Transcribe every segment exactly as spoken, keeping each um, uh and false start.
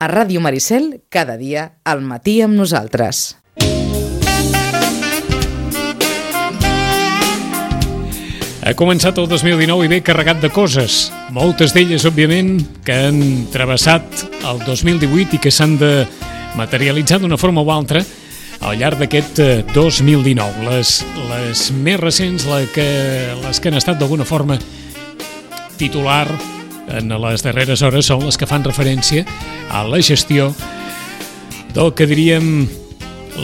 A Ràdio Maricel, cada dia, al matí amb nosaltres. Ha començat el dos mil dinou i ve carregat de coses, moltes d'elles, òbviament, que han travessat el dos mil divuit i que s'han de materialitzar d'una forma o altra al llarg d'aquest dos mil dinou. Les, les més recents, la que, les que han estat d'alguna forma titular en les darreres hores, són les que fan referència a la gestió del que diríem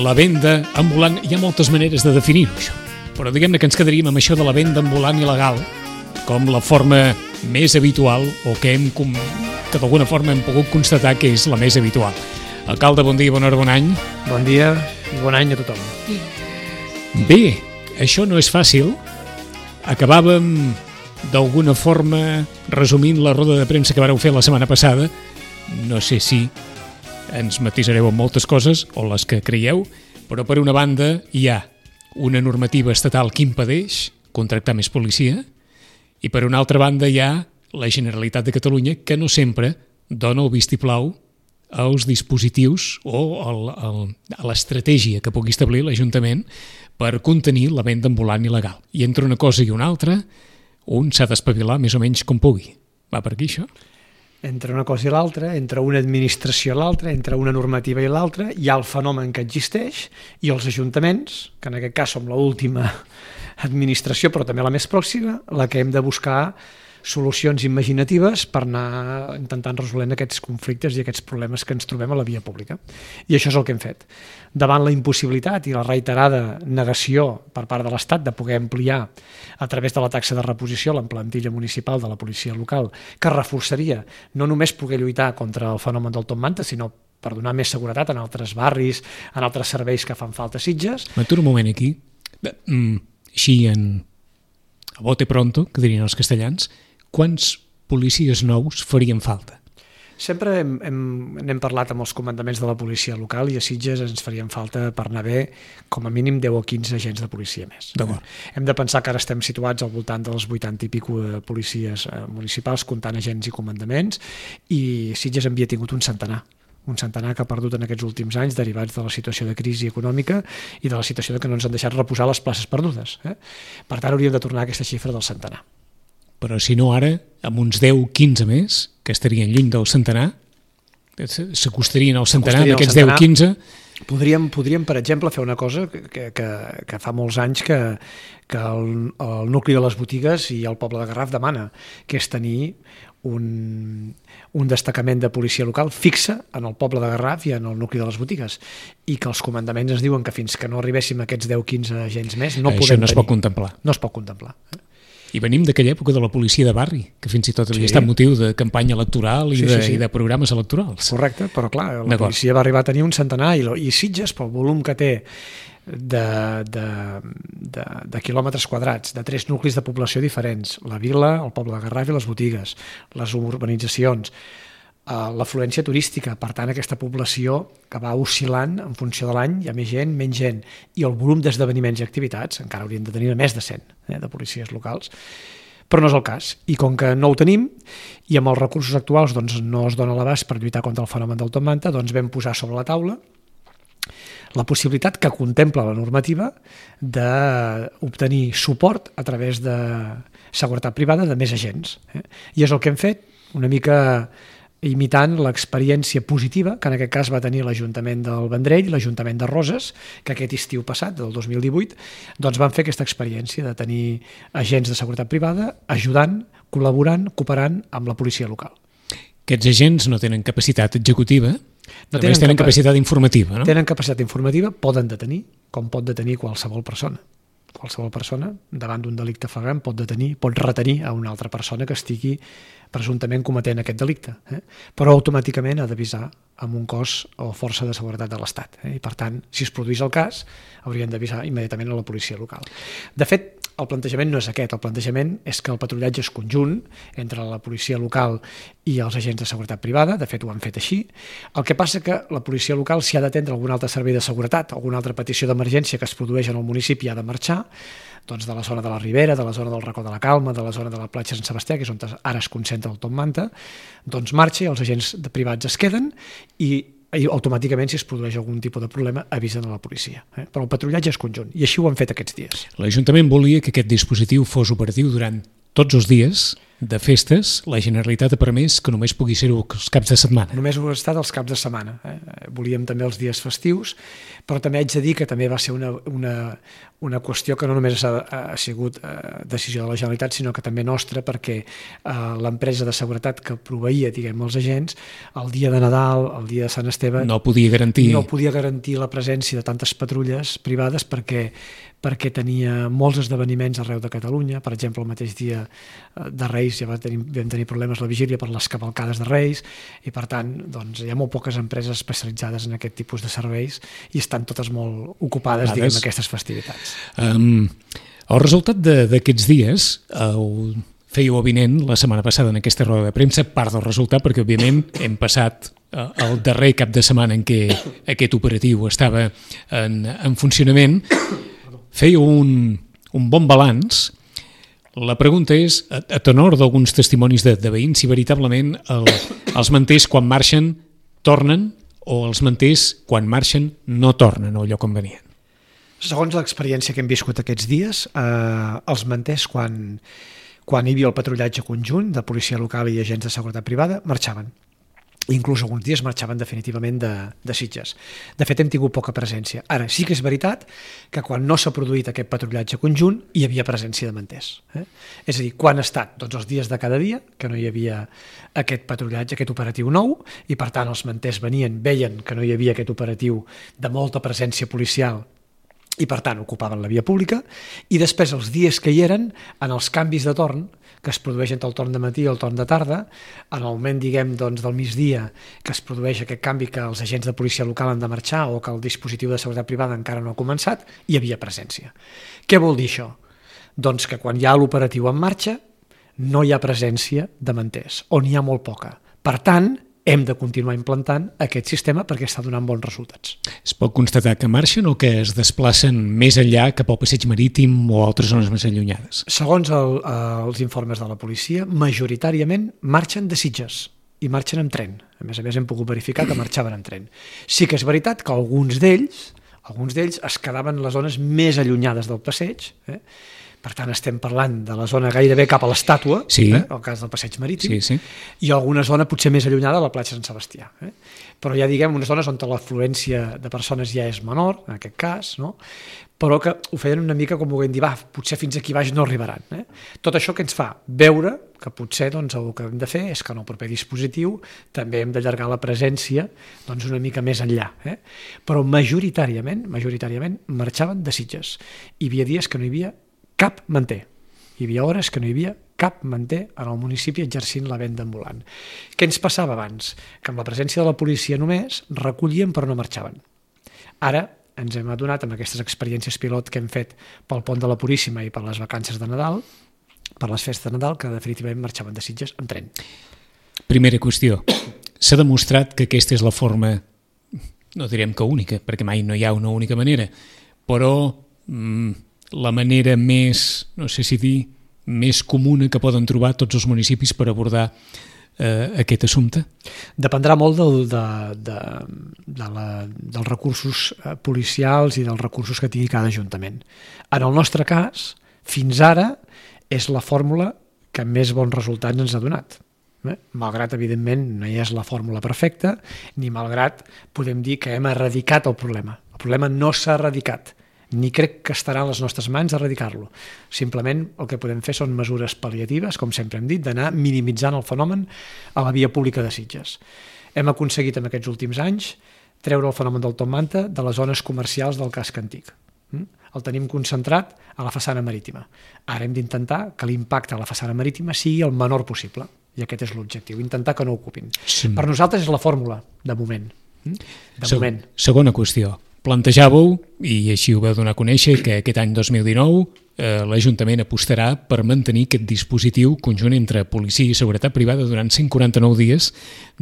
la venda ambulant. Hi ha moltes maneres de definir-ho, això. Però diguem-ne que ens quedaríem amb això de la venda ambulant il·legal com la forma més habitual o que, hem, que d'alguna forma hem pogut constatar que és la més habitual. Alcalde, bon dia, bona hora, bon any. Bon dia i bon any a tothom. Bé, això no és fàcil. Acabàvem d'alguna forma resumint la roda de premsa que vareu fer la setmana passada. No sé si ens matisareu en moltes coses o les que creieu, però per una banda hi ha una normativa estatal que impedeix contractar més policia i per una altra banda hi ha la Generalitat de Catalunya que no sempre dona el vistiplau als dispositius o el, el, a l'estratègia que pugui establir l'Ajuntament per contenir la venda ambulant il·legal. I entre una cosa i una altra, un s'ha d'espavilar més o menys com pugui. Va per aquí, això? Entre una cosa i l'altra, entre una administració i l'altra, entre una normativa i l'altra, hi ha el fenomen que existeix i els ajuntaments, que en aquest cas som l'última administració, però també la més pròxima, la que hem de buscar solucions imaginatives per anar intentant resolent aquests conflictes i aquests problemes que ens trobem a la via pública. I això és el que hem fet. Davant la impossibilitat i la reiterada negació per part de l'Estat de poder ampliar a través de la taxa de reposició la plantilla municipal de la policia local, que reforçaria no només poder lluitar contra el fenomen del top manta, sinó per donar més seguretat en altres barris, en altres serveis que fan falta a Sitges. M'aturo un moment aquí. Així en a bote pronto, que dirien els castellans, quants policies nous farien falta? Sempre hem, hem, n'hem parlat amb els comandaments de la policia local i a Sitges ens farien falta per anar bé com a mínim deu o quinze agents de policia més. Hem de pensar que ara estem situats al voltant dels vuitanta i pico de policies municipals comptant agents i comandaments i Sitges havia tingut un centenar. un centenar que ha perdut en aquests últims anys derivats de la situació de crisi econòmica i de la situació de que no ens han deixat reposar les places perdudes. Eh? Per tant, hauríem de tornar a aquesta xifra del centenar. Però si no ara, amb uns deu o quinze més, que estarien lluny del centenar, s'acostarien al centenar d'aquests deu o quinze... Podríem, podríem, per exemple, fer una cosa que, que, que fa molts anys que, que el, el nucli de les botigues i el poble de Garraf demana, que és tenir un, un destacament de policia local fixa en el poble de Garraf i en el nucli de les botigues, i que els comandaments ens diuen que fins que no arribéssim a aquests deu o quinze agents més no Això podem no es tenir. pot contemplar. No es pot contemplar. I venim d'aquella època de la policia de barri, que fins i tot havia Sí. estat motiu de campanya electoral i, Sí, de, sí, sí. i de programes electorals. Correcte, però clar, la policia va arribar a tenir un centenar i, i Sitges, pel volum que té de, de, de, de quilòmetres quadrats, de tres nuclis de població diferents, la vila, el poble de Garraf i les botigues, les urbanitzacions, l'afluència turística, per tant aquesta població que va oscil·lant en funció de l'any, hi ha més gent, menys gent, i el volum d'esdeveniments i activitats, encara hauríem de tenir més de cent eh, de policies locals, però no és el cas. I com que no ho tenim, i amb els recursos actuals doncs, no es dona l'abast per lluitar contra el fenomen del top manta, doncs vam posar sobre la taula la possibilitat que contempla la normativa d'obtenir suport a través de seguretat privada de més agents. Eh? I és el que hem fet, una mica imitant l'experiència positiva que en aquest cas va tenir l'Ajuntament del Vendrell i l'Ajuntament de Roses, que aquest estiu passat, del dos mil divuit, doncs van fer aquesta experiència de tenir agents de seguretat privada ajudant, col·laborant, cooperant amb la policia local. Aquests agents no tenen capacitat executiva, no només tenen, tenen capacitat informativa, no? Tenen capacitat informativa, poden detenir, com pot detenir qualsevol persona. Qualsevol persona, davant d'un delicte flagrant, pot detenir, pot retenir a una altra persona que estigui presumptament cometent aquest delicte, eh? Però automàticament ha d'avisar amb un cos o força de seguretat de l'Estat. Eh? I per tant, si es produís el cas, haurien d'avisar immediatament a la policia local. De fet, el plantejament no és aquest, el plantejament és que el patrullatge és conjunt entre la policia local i els agents de seguretat privada, de fet ho han fet així. El que passa que la policia local, si ha d'atendre algun altre servei de seguretat, alguna altra petició d'emergència que es produeix en el municipi, ha de marxar, doncs de la zona de la Ribera, de la zona del Racó de la Calma, de la zona de la platja Sant Sebastià, que és on ara es concentra el Top Manta, doncs marxa i els agents privats es queden i i automàticament, si es produeix algun tipus de problema, avisen a la policia. Eh? Però el patrullatge és conjunt, i així ho han fet aquests dies. L'Ajuntament volia que aquest dispositiu fos operatiu durant tots els dies de festes. La Generalitat ha permès que només pugui ser-ho els caps de setmana. Només ho ha estat els caps de setmana. Eh? Volíem també els dies festius, però també haig de dir que també va ser una, una, una qüestió que no només ha, ha sigut eh, decisió de la Generalitat, sinó que també nostra, perquè eh, l'empresa de seguretat que proveïa, diguem, els agents, el dia de Nadal, el dia de Sant Esteve... No podia garantir... No podia garantir la presència de tantes patrulles privades perquè perquè tenia molts esdeveniments arreu de Catalunya. Per exemple, el mateix dia de Reis ja vam tenir, vam tenir problemes la vigília per les cavalcades de Reis i, per tant, doncs, hi ha molt poques empreses especialitzades en aquest tipus de serveis i estan totes molt ocupades, diguem, en aquestes festivitats. Um, el resultat d'aquests dies el fèieu avinent la setmana passada en aquesta roda de premsa, part del resultat, perquè, òbviament, hem passat el darrer cap de setmana en què aquest operatiu estava en, en funcionament. Fèieu un, un bon balanç. La pregunta és, a, a tenor d'alguns testimonis de, de veïns, si veritablement el, els manters quan marxen tornen o els manters quan marxen no tornen al lloc on venien. Segons l'experiència que hem viscut aquests dies, eh, els manters quan, quan hi havia el patrullatge conjunt de policia local i agents de seguretat privada marxaven. Inclús alguns dies marxaven definitivament de, de Sitges. De fet, hem tingut poca presència. Ara, sí que és veritat que quan no s'ha produït aquest patrullatge conjunt hi havia presència de manters. Eh? És a dir, quan ha estat? Doncs els dies de cada dia, que no hi havia aquest patrullatge, aquest operatiu nou, i per tant els manters venien, veien que no hi havia aquest operatiu de molta presència policial i per tant ocupaven la via pública, i després els dies que hi eren, en els canvis de torn, que es produeix entre el torn de matí i el torn de tarda, en el moment, diguem, doncs, del migdia, que es produeix aquest canvi que els agents de policia local han de marxar o que el dispositiu de seguretat privada encara no ha començat, hi havia presència. Què vol dir això? Doncs que quan hi ha l'operatiu en marxa no hi ha presència de manters, o n'hi ha molt poca. Per tant, hem de continuar implantant aquest sistema perquè està donant bons resultats. Es pot constatar que marxen o que es desplacen més enllà cap al passeig marítim o altres zones més allunyades? Segons el, els informes de la policia, majoritàriament marxen de Sitges i marxen en tren. A més a més, hem pogut verificar que marxaven en tren. Sí que és veritat que alguns d'ells, alguns d'ells es quedaven en les zones més allunyades del passeig, eh? Per tant, estem parlant de la zona gairebé cap a l'estàtua, sí. eh, el cas del passeig marítim, sí, sí. I alguna zona potser més allunyada de la platja Sant Sebastià. Eh? Però ja diguem, unes zones on l'afluència de persones ja és menor, en aquest cas, no? Però que ho feien una mica com ho vam dir, va, potser fins aquí baix no arribaran. Eh? Tot això que ens fa veure que potser doncs, el que hem de fer és que en el proper dispositiu també hem d'allargar la presència doncs, una mica més enllà. Eh? Però majoritàriament, majoritàriament marxaven de Sitges. Hi havia dies que no hi havia cap manter. Hi havia hores que no hi havia cap manter en el municipi exercint la venda ambulant. Què ens passava abans? Que amb la presència de la policia només recollien però no marxaven. Ara ens hem adonat amb aquestes experiències pilot que hem fet pel pont de la Puríssima i per les vacances de Nadal, per les festes de Nadal, que definitivament marxaven de Sitges en tren. Primera qüestió. S'ha demostrat que aquesta és la forma, no direm que única, perquè mai no hi ha una única manera, però mmm, la manera més, no sé si dir, més comuna que poden trobar tots els municipis per abordar eh, aquest assumpte? Dependrà molt del, de, de, de la, dels recursos policials i dels recursos que tingui cada ajuntament. En el nostre cas, fins ara, és la fórmula que més bons resultats ens ha donat. Eh? Malgrat, evidentment, no hi és la fórmula perfecta, ni malgrat podem dir que hem erradicat el problema. El problema no s'ha erradicat, ni crec que estarà a les nostres mans erradicar-lo. Simplement el que podem fer són mesures pal·liatives, com sempre hem dit, d'anar minimitzant el fenomen a la via pública de Sitges. Hem aconseguit en aquests últims anys treure el fenomen del Top Manta de les zones comercials del casc antic. El tenim concentrat a la façana marítima. Ara hem d'intentar que l'impacte a la façana marítima sigui el menor possible, i aquest és l'objectiu, intentar que no ocupin. Sí. Per nosaltres és la fórmula, de moment. De Se- moment. Segona qüestió. Plantejàveu, i així ho vau donar a conèixer, que aquest any dos mil dinou eh, l'Ajuntament apostarà per mantenir aquest dispositiu conjunt entre policia i seguretat privada durant cent quaranta-nou dies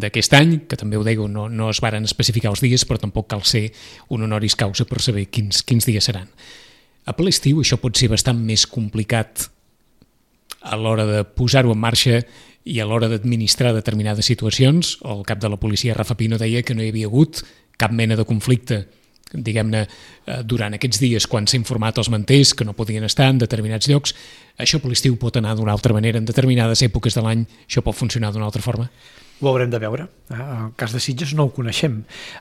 d'aquest any, que també ho dèieu, no, no es varen especificar els dies, però tampoc cal ser un honoris causa per saber quins, quins dies seran. A ple estiu això pot ser bastant més complicat a l'hora de posar-ho en marxa i a l'hora d'administrar determinades situacions. El cap de la policia, Rafa Pino, deia que no hi havia hagut cap mena de conflicte, diguem-ne, durant aquests dies quan s'ha informat els manters que no podien estar en determinats llocs. Això per l'estiu pot anar d'una altra manera, en determinades èpoques de l'any això pot funcionar d'una altra forma? Ho haurem de veure. En el cas de Sitges no ho coneixem.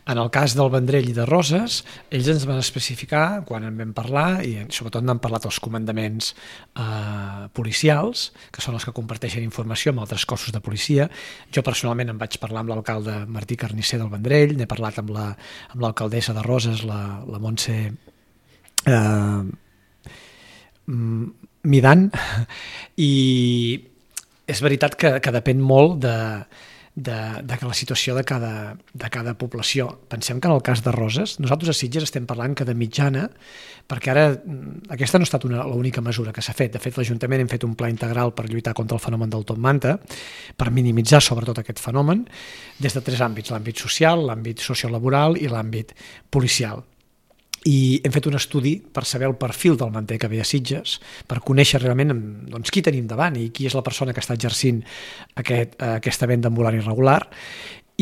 En el cas del Vendrell i de Roses, ells ens van especificar, quan en vam parlar, i sobretot n'han parlat els comandaments eh, policials, que són els que comparteixen informació amb altres cossos de policia. Jo personalment em vaig parlar amb l'alcalde Martí Carnisser del Vendrell, n'he parlat amb la, amb l'alcaldessa de Roses, la, la Montse eh, Midan, i és veritat que, que depèn molt de De, de la situació de cada, de cada població. Pensem que en el cas de Roses, nosaltres a Sitges estem parlant que de mitjana, perquè ara aquesta no ha estat una, l'única mesura que s'ha fet. De fet, l'Ajuntament hem fet un pla integral per lluitar contra el fenomen del top manta, per minimitzar sobretot aquest fenomen, des de tres àmbits, l'àmbit social, l'àmbit sociolaboral i l'àmbit policial. I hem fet un estudi per saber el perfil del manter que ve a Sitges, per conèixer realment doncs, qui tenim davant i qui és la persona que està exercint aquest, aquesta venda ambulant irregular.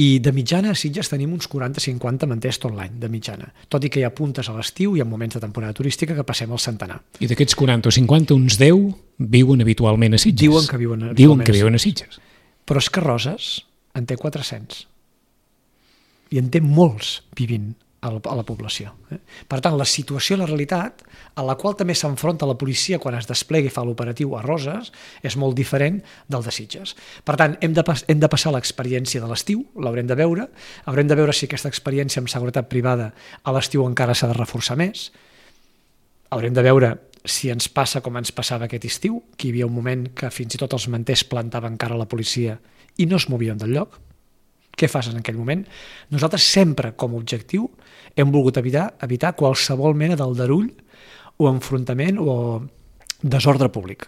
I de mitjana a Sitges tenim uns quaranta a cinquanta manters tot l'any, de mitjana. Tot i que hi ha puntes a l'estiu i en moments de temporada turística que passem al centenar. I d'aquests quaranta o cinquanta, uns deu viuen habitualment a Sitges? Diuen que viuen, Diuen que viuen a Sitges. Però és que Roses en té quatre-cents. I en té molts vivint a la població. Per tant, la situació, la realitat, a la qual també s'enfronta la policia quan es desplega i fa l'operatiu a Roses, és molt diferent del de Sitges. Per tant, hem de, hem de passar l'experiència de l'estiu, l'haurem de veure, haurem de veure si aquesta experiència amb seguretat privada a l'estiu encara s'ha de reforçar més, haurem de veure si ens passa com ens passava aquest estiu, que hi havia un moment que fins i tot els manters plantaven cara a la policia i no es movien del lloc. Què fas en aquell moment? Nosaltres sempre, com a objectiu, hem volgut evitar, evitar qualsevol mena d'aldarull o enfrontament o desordre públic.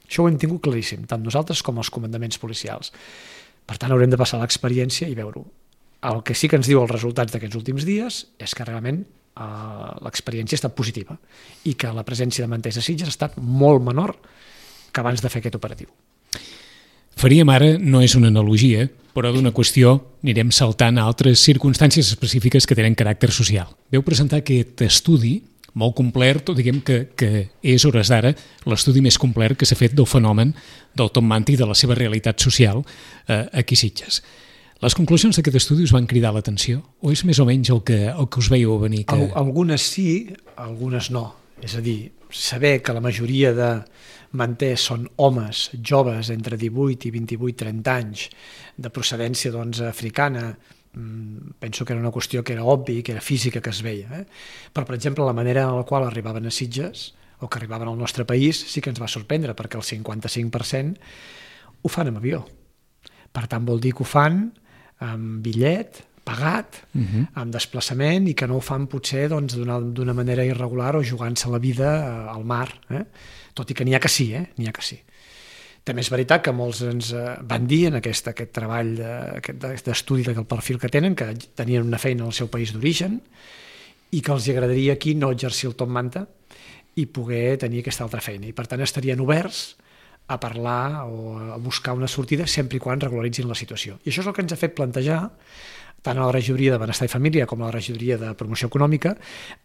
Això ho hem tingut claríssim, tant nosaltres com els comandaments policials. Per tant, haurem de passar l'experiència i veure-ho. El que sí que ens diu els resultats d'aquests últims dies és que realment eh, l'experiència ha estat positiva i que la presència de manters a Sitges ha estat molt menor que abans de fer aquest operatiu. Faríem ara, no és una analogia, però d'una qüestió anirem saltant a altres circumstàncies específiques que tenen caràcter social. Veu presentar aquest estudi molt complet, diguem que, que és, hores d'ara, l'estudi més complet que s'ha fet del fenomen del top manta i de la seva realitat social eh, aquí a Sitges. Les conclusions d'aquest estudi us van cridar l'atenció? O és més o menys el que, el que us veieu venir? Que... Algunes sí, algunes no. És a dir, saber que la majoria de manters són homes joves entre divuit i vint-i-vuit trenta anys de procedència doncs, africana, penso que era una qüestió que era obvi, que era física, que es veia. Eh? Però, per exemple, la manera en la qual arribaven a Sitges o que arribaven al nostre país sí que ens va sorprendre, perquè el cinquanta-cinc per cent ho fan amb avió. Per tant, vol dir que ho fan amb bitllet, pagat, uh-huh. amb desplaçament, i que no ho fan potser doncs, d'una manera irregular o jugant-se la vida al mar. Eh? Tot i que n'hi ha que sí, eh? n'hi ha que sí. També és veritat que molts ens van dir en aquest, aquest treball d'estudi del perfil que tenen, que tenien una feina al seu país d'origen i que els agradaria aquí no exercir el top manta i poder tenir aquesta altra feina. I per tant estarien oberts a parlar o a buscar una sortida sempre i quan regularitzin la situació. I això és el que ens ha fet plantejar tant a la regidoria de Benestar i Família com a la regidoria de Promoció Econòmica,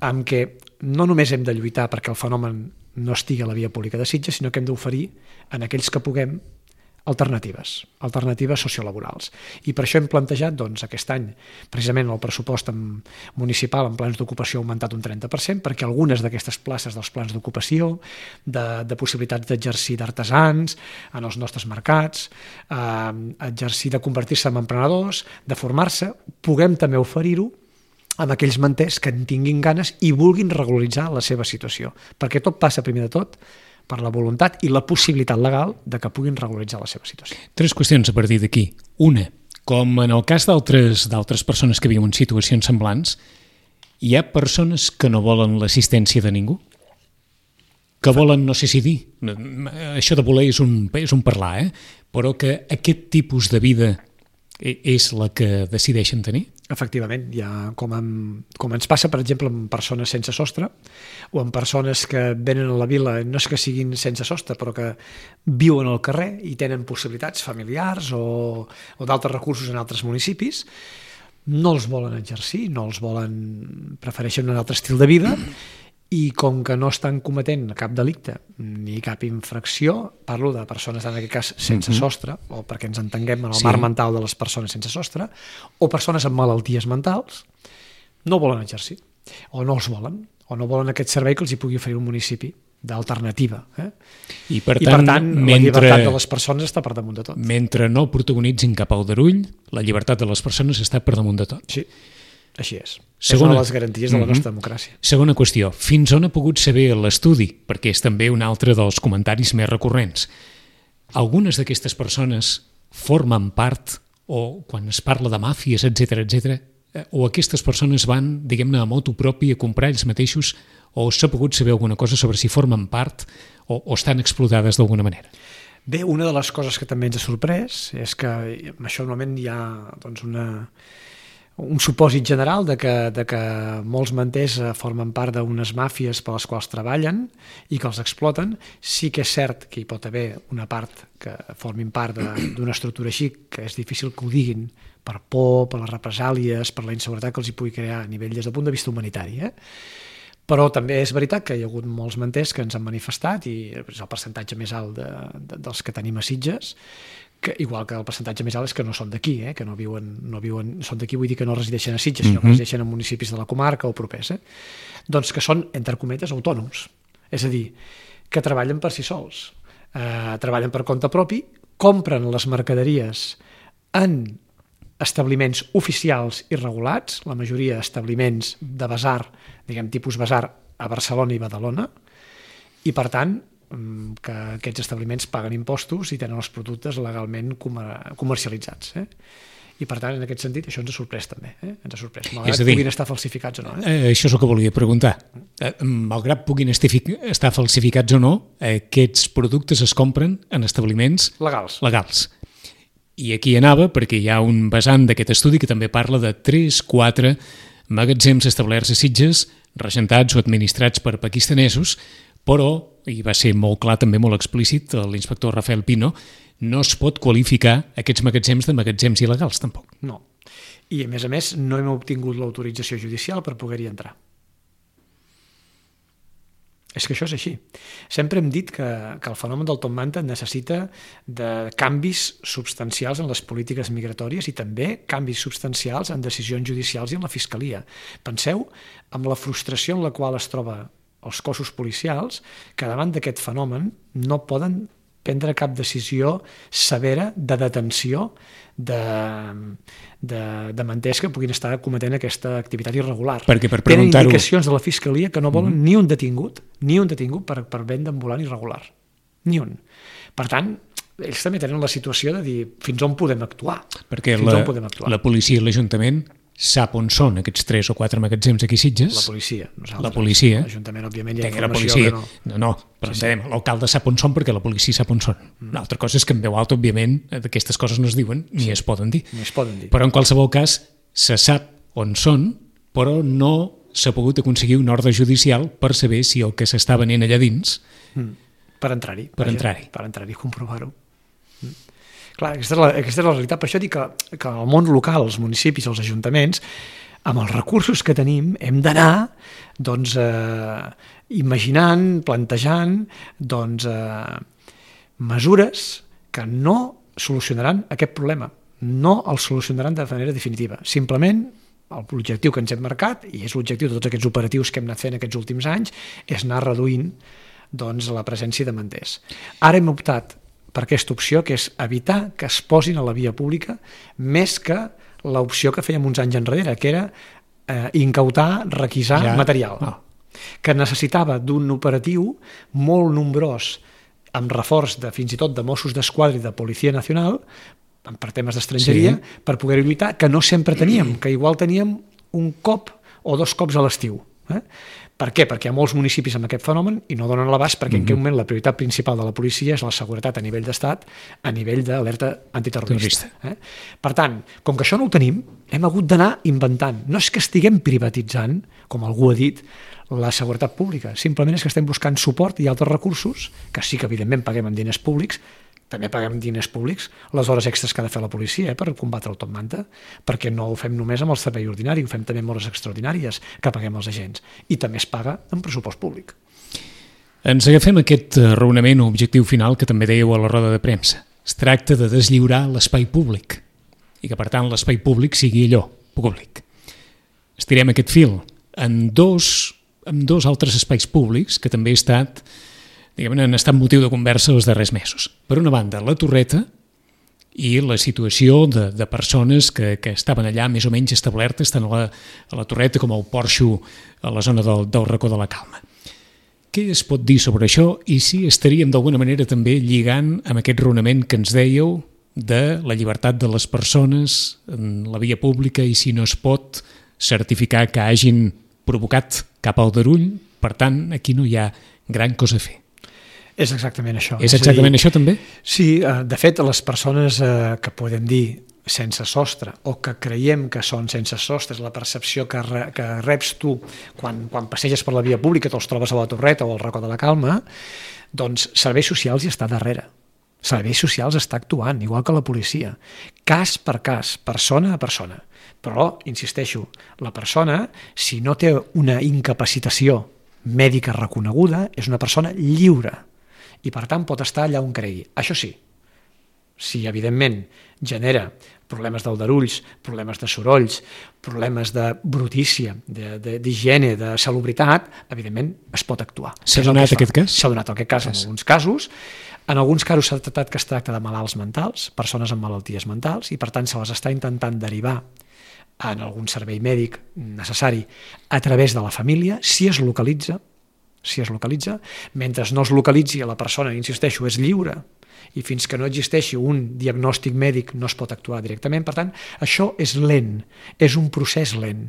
amb què no només hem de lluitar perquè el fenomen no estigui a la via pública de Sitges, sinó que hem d'oferir en aquells que puguem alternatives, alternatives sociolaborals. I per això hem plantejat doncs, aquest any, precisament el pressupost municipal en plans d'ocupació ha augmentat un trenta per cent, perquè algunes d'aquestes places dels plans d'ocupació, de, de possibilitats d'exercir d'artesans en els nostres mercats, eh, exercir de convertir-se en emprenedors, de formar-se, puguem també oferir-ho amb aquells manters que en tinguin ganes i vulguin regularitzar la seva situació. Perquè tot passa, primer de tot, per la voluntat i la possibilitat legal de que puguin regularitzar la seva situació. Tres qüestions a partir d'aquí. Una, com en el cas d'altres d'altres persones que viuen en situacions semblants, hi ha persones que no volen l'assistència de ningú? que volen, no sé si dir, això de voler és un, és un parlar, eh? Però que aquest tipus de vida és la que decideixen tenir? Efectivament, ja com, amb, com ens passa, per exemple, amb persones sense sostre o amb persones que venen a la vila, no és que siguin sense sostre, però que viuen al carrer i tenen possibilitats familiars o, o d'altres recursos en altres municipis, no els volen exercir, no els volen, prefereixen un altre estil de vida, i com que no estan cometent cap delicte ni cap infracció, parlo de persones en aquest cas sense uh-huh. sostre, o perquè ens entenguem en el sí. marc mental de les persones sense sostre, o persones amb malalties mentals, no volen exercir, o no els volen, o no volen aquest servei que els hi pugui oferir un municipi d'alternativa. Eh? I per tant, I per tant mentre, la llibertat de les persones està per damunt de tot. Mentre no protagonitzin cap aldarull, la llibertat de les persones està per damunt de tot. Sí. Així és. Segona, és una de les garanties de la nostra uh-huh. democràcia. Segona qüestió. Fins on ha pogut saber l'estudi? Perquè és també un altre dels comentaris més recurrents. Algunes d'aquestes persones formen part, o quan es parla de màfies, etcètera, etcètera, o aquestes persones van, diguem-ne, a motu propi a comprar ells mateixos, o s'ha pogut saber alguna cosa sobre si formen part o, o estan explotades d'alguna manera? Bé, una de les coses que també ens ha sorprès és que amb això normalment hi ha doncs, una... un supòsit general de que, de que molts manters formen part d'unes màfies per les quals treballen i que els exploten. Sí que és cert que hi pot haver una part que formin part d'una estructura així, que és difícil que ho diguin per por, per les represàlies, per la inseguretat que els hi pugui crear a nivell des del punt de vista humanitari. Eh? Però també és veritat que hi ha hagut molts manters que ens han manifestat, i és el percentatge més alt de, de, dels que tenim a Sitges, que, igual que el percentatge més alt és que no són d'aquí, eh? que no viuen, no viuen, són d'aquí, vull dir que no resideixen a Sitges, sinó que resideixen en municipis de la comarca o propers. Eh? Doncs que són, entre cometes, autònoms. És a dir, que treballen per si sols, eh, treballen per compte propi, compren les mercaderies en establiments oficials i regulats, la majoria d'establiments de basar, diguem tipus basar, a Barcelona i Badalona, i per tant que aquests establiments paguen impostos i tenen els productes legalment comercialitzats. Eh? I per tant, en aquest sentit, això ens ha sorprès també. Eh? Ens ha sorprès, malgrat que puguin estar falsificats o no. Eh? Això és el que volia preguntar. Malgrat puguin estar falsificats o no, aquests productes es compren en establiments legals. legals. I aquí anava perquè hi ha un vessant d'aquest estudi que també parla de tres quatre magatzems establerts a Sitges, regentats o administrats per pakistanesos, però, i va ser molt clar, també molt explícit, l'inspector Rafael Pino, no es pot qualificar aquests magatzems de magatzems il·legals, tampoc. No. I, a més a més, no hem obtingut l'autorització judicial per poder-hi entrar. És que això és així. Sempre hem dit que, que el fenomen del top manta necessita de canvis substancials en les polítiques migratòries i també canvis substancials en decisions judicials i en la fiscalia. Penseu en la frustració en la qual es troba els cossos policials, que davant d'aquest fenomen no poden prendre cap decisió severa de detenció de, de, de manters que puguin estar cometent aquesta activitat irregular. Perquè per Tenen indicacions de la Fiscalia que no volen mm. ni un detingut, ni un detingut per, per venda ambulant irregular. Ni un. Per tant, ells també tenen la situació de dir fins on podem actuar. Perquè fins la, on podem actuar. la policia i l'Ajuntament sap on són aquests tres o quatre magatzems aquí a Sitges. La policia, nosaltres. La policia. L'Ajuntament, òbviament, hi ha Tenc informació policia. que no... No, no, però sí, sí. L'alcalde sap on són perquè la policia sap on són. Una altra cosa és que en veu alta, òbviament, d'aquestes coses no es diuen ni sí. es poden dir. Ni es poden dir. Però en qualsevol cas, se sap on són, però no s'ha pogut aconseguir una ordre judicial per saber si el que s'està venent allà dins... Mm. Per entrar-hi. Per entrar-hi. Per entrar-hi, comprovar-ho. Mm. Clar, aquesta és, la, aquesta és la realitat. Per això dic que, que el món local, els municipis, els ajuntaments, amb els recursos que tenim, hem d'anar doncs, eh, imaginant, plantejant doncs, eh, mesures que no solucionaran aquest problema, no el solucionaran de manera definitiva. Simplement, l'objectiu que ens hem marcat, i és l'objectiu de tots aquests operatius que hem anat fent aquests últims anys, és anar reduint doncs, la presència de manters. Ara hem optat per aquesta opció, que és evitar que es posin a la via pública més que l'opció que fèiem uns anys enrere, que era eh, incautar, requisar ja. material, oh. que necessitava d'un operatiu molt nombrós, amb reforç de, fins i tot de Mossos d'Esquadra i de Policia Nacional, per temes d'estrangeria, sí. per poder lluitar, que no sempre teníem, que igual teníem un cop o dos cops a l'estiu. Eh? Per què? Perquè hi ha molts municipis amb aquest fenomen i no donen l'abast perquè mm-hmm. en aquest moment la prioritat principal de la policia és la seguretat a nivell d'estat, a nivell d'alerta antiterrorista. Eh? Per tant, com que això no ho tenim, hem hagut d'anar inventant. No és que estiguem privatitzant, com algú ha dit, la seguretat pública. Simplement és que estem buscant suport i altres recursos, que sí que evidentment paguem amb diners públics, també paguem diners públics les hores extres que ha de fer la policia eh, per combatre el top manta, perquè no ho fem només amb el servei ordinari, ho fem també amb hores extraordinàries que paguem als agents, i també es paga amb pressupost públic. Ens agafem aquest raonament o objectiu final que també dèieu a la roda de premsa. Es tracta de deslliurar l'espai públic i que, per tant, l'espai públic sigui allò, públic. Estirem aquest fil en dos, en dos altres espais públics que també he estat diguem, han estat motiu de conversa els darrers mesos. Per una banda, la Torreta i la situació de, de persones que, que estaven allà més o menys establertes tant a la, a la Torreta com al Porxo a la zona del, del Racó de la Calma. Què es pot dir sobre això i si estaríem d'alguna manera també lligant amb aquest raonament que ens dèieu de la llibertat de les persones en la via pública i si no es pot certificar que hagin provocat cap aldarull, per tant, aquí no hi ha gran cosa a fer. És exactament això. És exactament és dir, això també? Sí, de fet, les persones eh, que podem dir sense sostre o que creiem que són sense sostre, és la percepció que, re, que reps tu quan, quan passeges per la via pública, te'ls trobes a la Torreta o al Racó de la Calma, doncs serveis socials hi està darrere. Serveis socials està actuant, igual que la policia. Cas per cas, persona a persona. Però, insisteixo, la persona, si no té una incapacitació mèdica reconeguda, és una persona lliure i per tant pot estar allà on cregui. Això sí, si evidentment genera problemes d'aldarulls, problemes de sorolls, problemes de brutícia, d'higiene, de, de, de salubritat, evidentment es pot actuar. S'ha donat aquest cas? S'ha donat aquest cas en alguns casos. En alguns casos s'ha tractat que es tracta de malalts mentals, persones amb malalties mentals, i per tant se les està intentant derivar en algun servei mèdic necessari a través de la família, si es localitza, si es localitza, mentre no es localitzi la persona, insisteixo, és lliure i fins que no existeixi un diagnòstic mèdic no es pot actuar directament. Per tant, això és lent, és un procés lent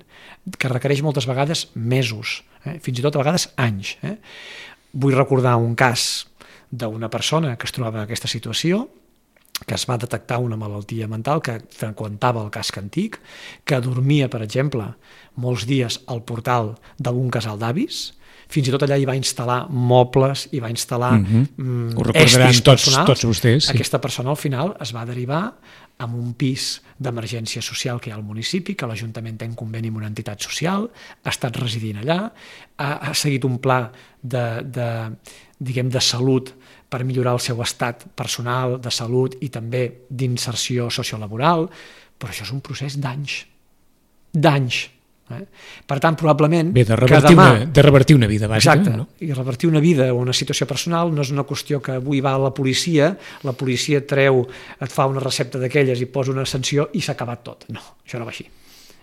que requereix moltes vegades mesos, eh? fins i tot a vegades anys. Eh? Vull recordar un cas d'una persona que es trobava en aquesta situació, que es va detectar una malaltia mental, que freqüentava el casc antic, que dormia, per exemple, molts dies al portal d'algun casal d'avis, fins i tot allà hi va instal·lar mobles, hi va instal·lar mm-hmm. Ho recordaran tots, tots vostès. Sí. Aquesta persona al final es va derivar amb un pis d'emergència social que hi ha al municipi, que l'Ajuntament té en conveni amb una entitat social, ha estat residint allà, ha, ha seguit un pla de, de, diguem, de salut per millorar el seu estat personal, de salut i també d'inserció sociolaboral, però això és un procés d'anys. D'anys. Eh? Per tant, probablement... Bé, de revertir, demà, una, de revertir una vida, bàsica. Exacte, no? I revertir una vida o una situació personal no és una qüestió que avui va a la policia, la policia treu, et fa una recepta d'aquelles i posa una sanció i s'ha acabat tot. No, això no va així.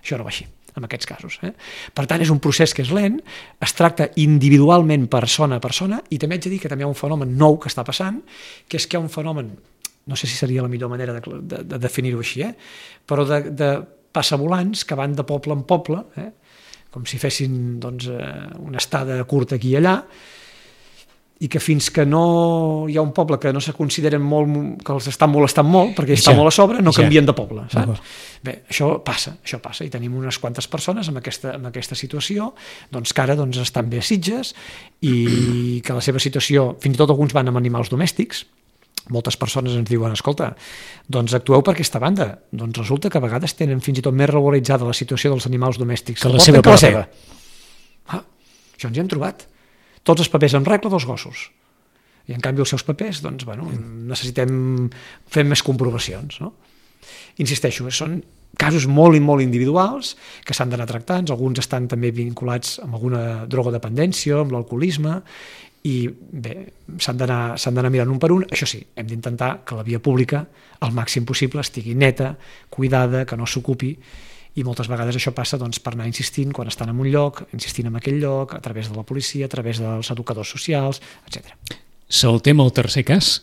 Això no va així, en aquests casos. Eh? Per tant, és un procés que és lent, es tracta individualment persona a persona i també haig de dir que també hi ha un fenomen nou que està passant, que és que hi ha un fenomen, no sé si seria la millor manera de, de, de definir-ho així, eh? però de... de passavolants que van de poble en poble, eh? com si fessin doncs, una estada curta aquí i allà, i que fins que no hi ha un poble que no se consideren molt, que els estan molestant molt, perquè està ja, molt a sobre, no ja. canvien de poble. Saps? Bé, això passa, això passa, i tenim unes quantes persones amb aquesta, amb aquesta situació, doncs, que ara doncs, estan bé a Sitges, i que la seva situació, fins i tot alguns van amb animals domèstics, moltes persones ens diuen, escolta, doncs actueu per aquesta banda. Doncs resulta que a vegades tenen fins i tot més regularitzada la situació dels animals domèstics que la seva que la seva. Ah, això ens hi hem trobat. Tots els papers en regla dels gossos. I en canvi els seus papers, doncs, bueno, necessitem fer més comprovacions, no? Insisteixo, són casos molt i molt individuals que s'han d'anar tractant, alguns estan també vinculats amb alguna drogodependència, amb l'alcoholisme, i bé, s'han d'anar s'han d'anar mirant un per un. Això sí, hem d'intentar que la via pública al màxim possible estigui neta, cuidada, que no s'ocupi, i moltes vegades això passa doncs, per anar insistint quan estan en un lloc, insistint en aquell lloc, a través de la policia, a través dels educadors socials, etcètera. Saltem al tercer cas,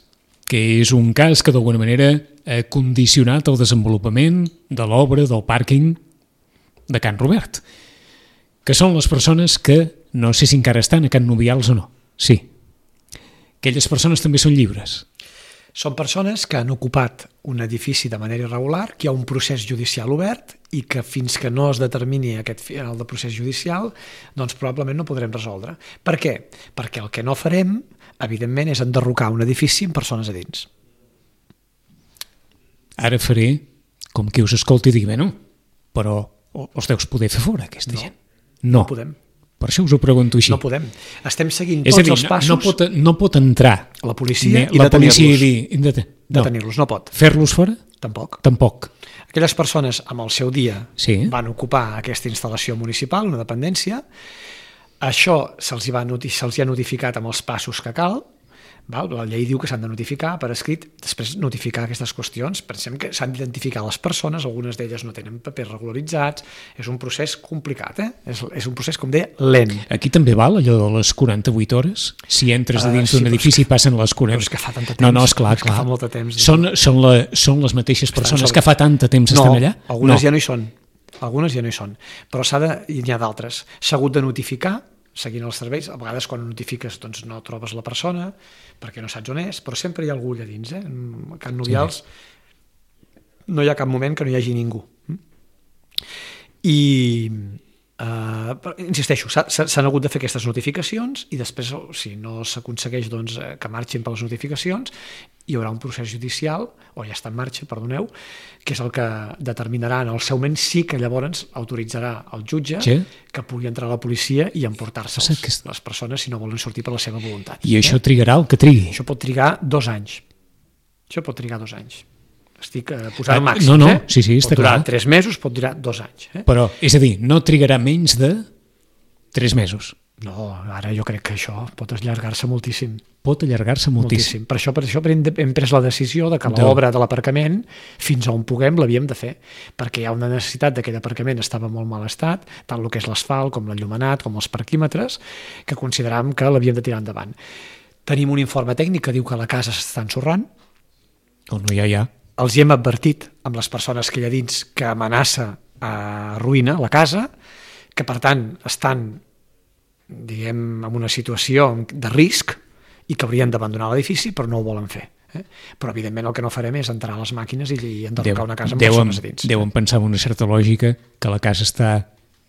que és un cas que d'alguna manera ha condicionat el desenvolupament de l'obra del pàrquing de Can Robert. que són les persones que, no sé si encara estan a Can Nubials o no, sí. Aquelles persones també són lliures. Són persones que han ocupat un edifici de manera irregular, que hi ha un procés judicial obert i que fins que no es determini aquest final de procés judicial, doncs probablement no podrem resoldre. Per què? Perquè el que no farem, evidentment, és enderrocar un edifici amb persones a dins. Ara faré com qui us escolti i digui, bueno, però els deus poder fer fora, aquesta no, gent. No, no podem. Per això us ho pregunto així. No podem. Estem seguint és tots dir, els passos. No, no, pot, no pot entrar la policia i la policia detenir-los. I dir, no. Detenir-los, no pot. Fer-los fora? Tampoc. Tampoc. Aquelles persones amb el seu dia sí. van ocupar aquesta instal·lació municipal, una dependència, això se'ls hi, va noti- se'ls hi ha notificat amb els passos que cal, val? La llei diu que s'han de notificar per escrit, després notificar aquestes qüestions. Pensem que s'han d'identificar les persones, algunes d'elles no tenen papers regularitzats, és un procés complicat, eh? és, és un procés, com deia, lent. Aquí també val allò de les quaranta-vuit hores? Si entres a dins uh, sí, d'un edifici i passen les quaranta... Però és que fa tant de temps. No, no, esclar, és clar. Que fa molt de temps. Són, són, la, són les mateixes persones que fa tant de temps no, estan allà? Algunes no, ja no hi són. Algunes ja no hi són. Però s'ha de, n'hi ha d'altres. S'ha hagut de notificar, seguint els serveis, a vegades quan notifiques doncs no trobes la persona perquè no saps on és, però sempre hi ha algú allà dins. Eh? A Can Nubials sí. no hi ha cap moment que no hi hagi ningú. I Uh, insisteixo, s'han hagut de fer aquestes notificacions i després, si no s'aconsegueix doncs, que marxin per les notificacions, hi haurà un procés judicial, o ja està en marxa, perdoneu, que és el que determinarà en el seu moment sí que llavors autoritzarà el jutge sí. que pugui entrar a la policia i emportar-se'ls que... les persones si no volen sortir per la seva voluntat. I eh? això trigarà el que trigui? Això pot trigar dos anys. Això pot trigar dos anys. Estic eh, posant ah, màxims, no, no, eh? sí, sí, està pot durar clar. tres mesos, pot durar dos anys. Eh? Però, és a dir, no trigarà menys de tres mesos. No, ara jo crec que això pot allargar-se moltíssim. Pot allargar-se moltíssim. moltíssim. Per això, per això hem pres la decisió de que l'obra de l'aparcament, fins on puguem, l'havíem de fer, perquè hi ha una necessitat d'aquell aparcament, estava en molt mal estat, tant el que és l'asfalt, com l'enllumenat, com els parquímetres, que consideràvem que l'havíem de tirar endavant. Tenim un informe tècnic que diu que la casa s'està ensorrant. O no hi ha ja. Els hi hem advertit amb les persones que hi ha dins que amenaça a ruïna la casa, que per tant estan, diguem, en una situació de risc i que haurien d'abandonar l'edifici, però no ho volen fer. Eh? Però evidentment el que no farem és entrar a les màquines i enderrocar una casa amb deuen, persones a dins. Deuen pensar amb una certa lògica que la casa està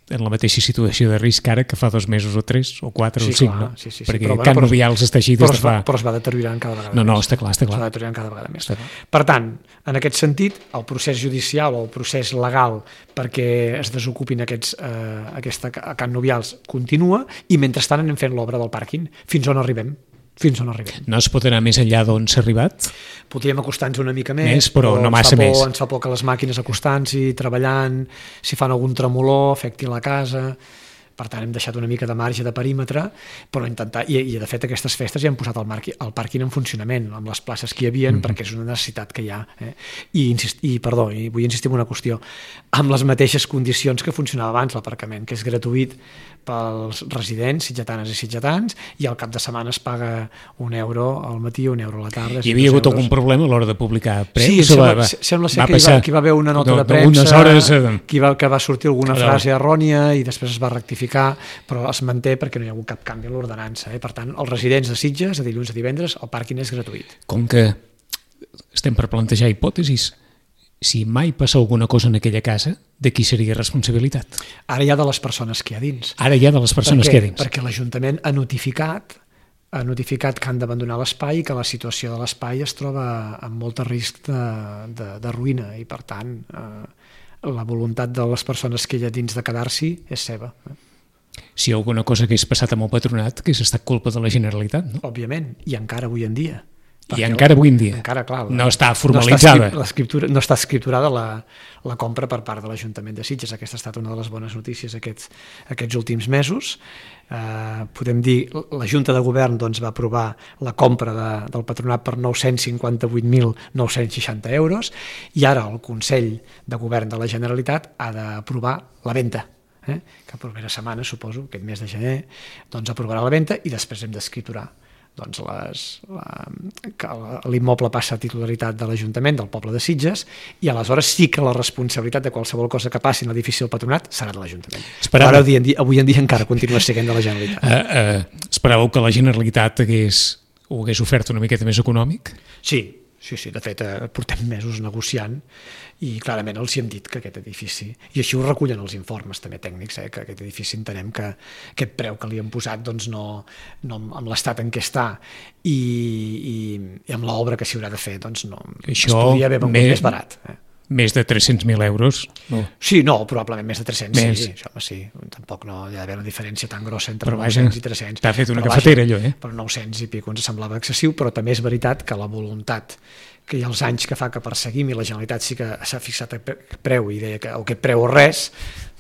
en la mateixa situació de risc ara que fa dos mesos o tres o quatre sí, o cinc, clar, no? Sí, sí, sí. Perquè però, Can bueno, Nubials està així des de fa... Però es va deteriorant cada vegada no, més. No, està clar, està clar. Es va deteriorant cada vegada més. Per tant, en aquest sentit, el procés judicial o el procés legal perquè es desocupin aquests, eh, aquesta Can Nubials continua i mentrestant anem fent l'obra del pàrquing. Fins on arribem? Fins on arribem. No es pot anar més enllà d'on s'ha arribat? Podríem acostar-nos una mica més, més però, però no massa ens por, més. Ens fa por que les màquines acostant-s'hi, treballant, si fan algun tremolor, afecti la casa... Per tant, hem deixat una mica de marge de perímetre, però intentar, i, i de fet aquestes festes ja hem posat el, marqui, el pàrquing en funcionament, amb les places que hi havia, mm-hmm. perquè és una necessitat que hi ha. Eh? I, insist, i, perdó, i vull insistir en una qüestió, amb les mateixes condicions que funcionava abans l'aparcament, que és gratuït pels residents, sitgetanes i sitgetans, i al cap de setmana es paga un euro al matí, un euro a la tarda. Hi havia hagut euros. Algun problema a l'hora de publicar preus? Sí, sembla, va, sembla ser va que, hi va, que hi va haver una nota de, de premsa, hores, eh... que, va, que va sortir alguna frase errònia i després es va rectificar, però es manté perquè no hi ha hagut cap canvi en l'ordenança. Eh? Per tant, els residents de Sitges, de dilluns a divendres, el pàrquing és gratuït. Com que estem per plantejar hipòtesis, si mai passa alguna cosa en aquella casa, de qui seria responsabilitat? Ara hi ha de les persones que hi ha dins. Ara hi ha de les persones que hi ha dins. Perquè l'Ajuntament ha notificat ha notificat que han d'abandonar l'espai i que la situació de l'espai es troba amb molt risc de, de, de ruïna i, per tant, eh, la voluntat de les persones que hi ha dins de quedar-s'hi és seva. Si alguna cosa hagués passat amb el patronat, que hagués estat culpa de la Generalitat, no? Òbviament, i encara avui en dia. I encara avui en dia. Encara, clar, no està formalitzada. No està, no està escripturada la, la compra per part de l'Ajuntament de Sitges. Aquesta ha estat una de les bones notícies aquests, aquests últims mesos. Eh, podem dir, la Junta de Govern doncs, va aprovar la compra de, del patronat per nou-cents cinquanta-vuit mil nou-cents seixanta euros i ara el Consell de Govern de la Generalitat ha d'aprovar la venda. Eh? Que la propera setmana, suposo, aquest mes de gener, doncs aprovarà la venda i després hem d'escriturar doncs les, la, que l'immoble passa a titularitat de l'Ajuntament del poble de Sitges, i aleshores sí que la responsabilitat de qualsevol cosa que passi en l'edifici del Patronat serà de l'Ajuntament. Esperava... Ara, avui en, dia, avui en dia encara continua sent de la Generalitat. Uh, uh, esperàveu que la Generalitat hagués, ho hagués ofert una miqueta més econòmic? Sí, sí, sí, de fet eh, portem mesos negociant i clarament els hi hem dit que aquest edifici, i així ho recullen els informes també tècnics, eh, que aquest edifici entenem que aquest preu que li han posat doncs no, no amb l'estat en què està i, i, i amb l'obra que s'hi haurà de fer doncs no, això es podria haver vengut més, més barat. Eh? Més de tres-cents mil euros? No. Sí, no, probablement més de tres-cents, més. sí, això, sí, tampoc no hi ha d'haver una diferència tan grossa entre però nou-cents vaja, i tres-cents. T'ha fet una però cafetera, vaja, allò, eh? Per nou-cents i pico ens semblava excessiu, però també és veritat que la voluntat que hi ha els anys que fa que perseguim i la Generalitat sí que s'ha fixat a preu i deia que o aquest preu o res,